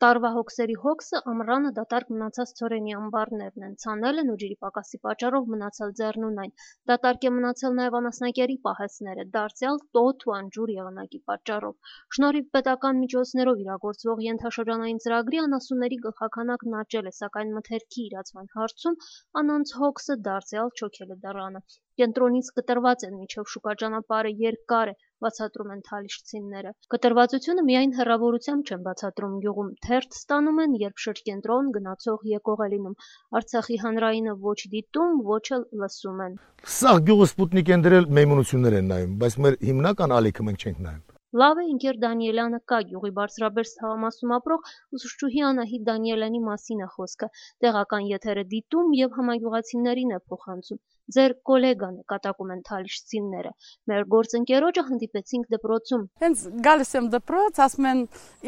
Տարվա հոգսերի հոգսը ամռանը դատարկ մնացած ցորենի ամբարներն են, ցանել են ու ջրի պակասի պատճառով մնացել ձեռնունայն, դատարկ է մնացել նաև անասնակերի պահեստները, դարձյալ տոթ ու անջուր եղանակի պատճառով։ Շնորհիվ պետական միջոցներով իրագործվող ենթաշրջանային ծրագրի անասունների գլխաքանակն աճել է, սակայն մթերքի իրացման հարցում անոնց հոգսը դարձյալ չոքել է դռանը։ Կենտրոնից կտրված են, մինչև շուկա ճանապարհը երկար է, բացատրում են թալիշցիները։ Կտրվածությունը միայն հեռավորությամբ չեն բացատրում գյուղում, թերթ ստանում են, երբ շրջկենտրոն գնացող եկող է լինում։ Արցախի հանրայինը ոչ դիտում, ոչ էլ լսում են։ Սաղ գյուղը սպուտնիկ են դրել, մեյմունություններ են նայում, բայց մեր հիմնական ալիքը մենք չենք նայում։ Լավ է, ընկեր Դանիելյանը կա, գյուղի բարձրաբերս թաղամասում ապրող ուսուցչուհի Անահիտ Դանիելյանի մասին է խոսքը։ Տեղական եթերը դիտում եւ համագյուղացիներին է փոխանցում։ Ձեր կոլեգան է, կատակում են թալիշցիները։ Մեր գործընկերոջը հանդիպեցինք դպրոցում։ Հենց գալիս եմ դպրոց, ասում են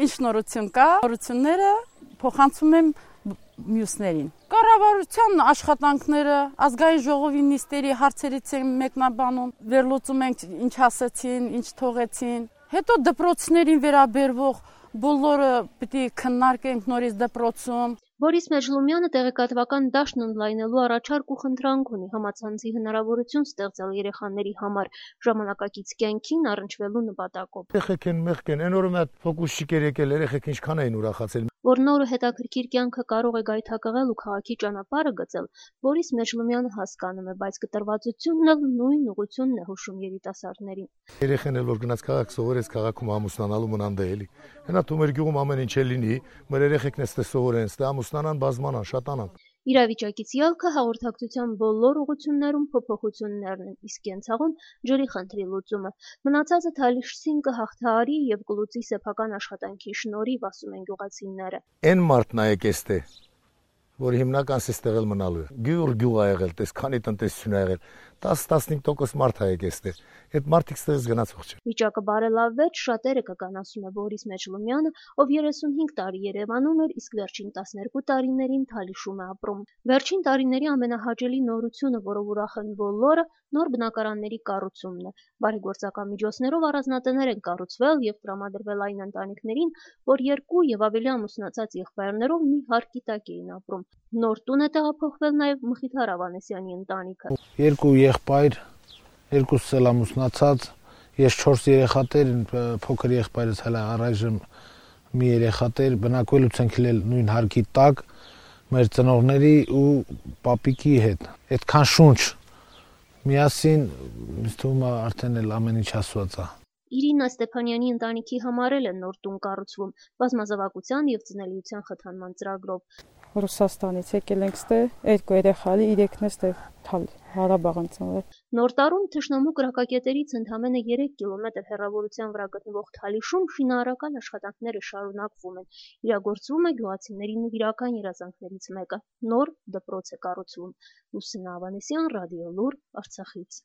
ինչ նորություն կա, նորությունները փոխանցում եմ մյուսներին։ Կառավարության աշխատանքները, ազգային ժողովի նիստերի հարցերից են մեկնաբանում, վերլուծում ենք ինչ ասեցին, ինչ թողեցին։ Հետո դպրոցներին վերաբերվող բոլորը պիտի քննարկենք նորից դպրոցում։ Բորիս Մեջլումյանը տեղեկատվական դաշտն ընդլայնելու առաջարկ ու խնդրանք ունի, համացանցի հնարավորություն ստեղծել երեխաների համար ժամանակակից կյանքին առնչվելու նպատակով։ Երեխեք են մեղք են, այն օրը մի հատ ֆոկուսչիկ եկել, երեխեք ինչքան էին ուրախացել։ Որ նոր ու հետաքրքիր կյանքը կարող է գայթակղել ու քաղաքի ճանապարհը գծել, Բորիս Մեջլումյանը հասկանում է, բայց կտրվածությունն էլ նույն ուղղությունն է հուշում երիտասարդներին։ Երեխեն էլ որ գնաց քաղաք սովորեց, քաղաքում ամուսնանալու մնան դե էլի։ Հենա դու մեր գյուղում ամեն ինչ է լինի, մեր երեխեքն էստե սովորեն, ստե ամուսնանան, բազմանան, շատանան։ Իրավիճակից ելքը հաղորդակցության բոլոր ուղղություններում փոփոխություններն են, իսկ կենցաղում ջրի խնդրի լուծումը։ Մնացածը թալիշցին կհաղթահարի եւ կլուծի սեփական աշխատանքի շնորհիվ, ասում են գյուղացիները։ Այն մարդն է եկեստե, որ հիմնական սստեղել մնալու է։ Գյուղ ա եղել, տես քանի տնտեսություն ա եղել, 10-15% մարդ ա եկեստե։ Այդ մարդիկ ստեղից գնացող չէ։ Վիճակը բարելավվեց, շատերը կգան, ասում է Բորիս Մեջլումյանը, ով 35 տարի Երևանում էր, իսկ վերջին 12 տարիներին Թալիշում է ապրում։ Վերջին տարիների ամենահաճելի նորությունը, որով ուրախ են բոլորը, նոր բնակարանների կառուցումն է։ Բարեգործական միջոցներով առանձնատներ են կառուցվել եւ տրամադրվել այն ընտանիքներին, որ 2 եւ ավելի ամուսնացած եղբայրներով մի հարկի տակ էին ապրում։ Նոր տուն է տեղափոխվել նաեւ Մխիթար Ավանեսյանի ընտանիքը։ 2 եղբայր, 2-ս էլ ամուսնացած, ես 4 երեխատեր, փոքր եղբայրս հələ առայժմ մի երեխատեր, բնակվելուց ենք ելել նույն հարկի տակ մեր ծնողների ու պապիկի հետ։ Այդքան շունչ միասին ինձ թվում է արդեն էլ ամեն ինչ ասված է։ Իրինա Ստեփանյանի ընտանիքի համար էլ է նոր տուն կառուցվում, բազմազավակության եւ ծնելիության խթանման ծրագրով։ Ռուսաստանից եկել ենք ստե, 2 երեխալի, 3-ն է ստե Հարաբաղն ծնվել։ Նոր տարում թշնամու կրակակետերից ընդամենը 3 կիլոմետր հեռավորության վրա գտնվող Թալիշում շինարարական աշխատանքները շարունակվում են։ Իրագործվում է գյուղացիների նվիրական երազանքներից մեկը՝ նոր դպրոց է կառուցվում։ Լուսինա Ավանեսյան, Ռադիո Լուր, Արցախից։